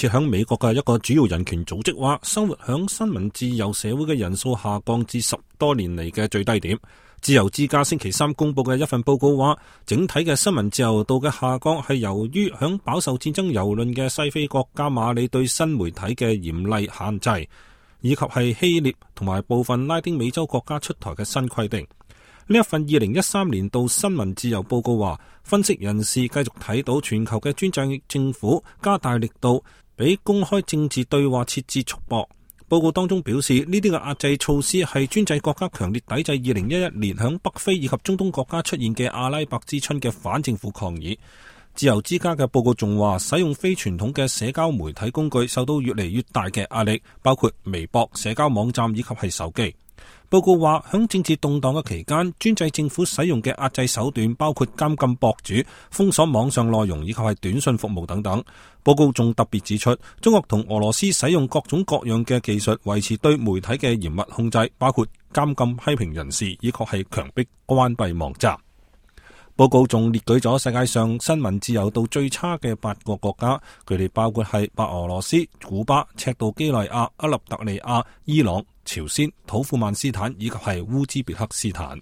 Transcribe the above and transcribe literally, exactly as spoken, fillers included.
設響美國嘅一個主要人權組織話，生活響新聞自由社會嘅人數下降至十多年嚟嘅最低點。自由之家星期三公布嘅一份報告話，整體嘅新聞自由度嘅下降係由於響飽受戰爭蹂躪嘅西非國家馬里對新媒體嘅嚴厲限制，以及係希臘同埋部分拉丁美洲國家出台嘅新規定。呢一份二零一三年度新聞自由報告話，分析人士繼續睇到全球嘅專制政府加大力度俾公開政治對話設置束縛。報告當中表示，呢啲嘅壓制措施係專制國家強烈抵制二零一一年響北非以及中東國家出現嘅阿拉伯之春嘅反政府抗議。自由之家嘅報告仲話，使用非傳統嘅社交媒體工具受到越嚟越大嘅壓力，包括微博、社交網站以及係手機。報告話，響政治動盪嘅期間，專制政府使用嘅壓制手段包括監禁博主、封鎖網上內容以及係短信服務等等。報告仲特別指出，中國同俄羅斯使用各種各樣嘅技術維持對媒體嘅嚴密控制，包括監禁批評人士以及係強迫關閉網站。報告仲列舉咗世界上新聞自由度最差嘅八個國家，佢哋包括係白俄羅斯、古巴、赤道幾內亞、厄立特里亞、伊朗、朝鮮、土庫曼斯坦以及係烏茲別克斯坦。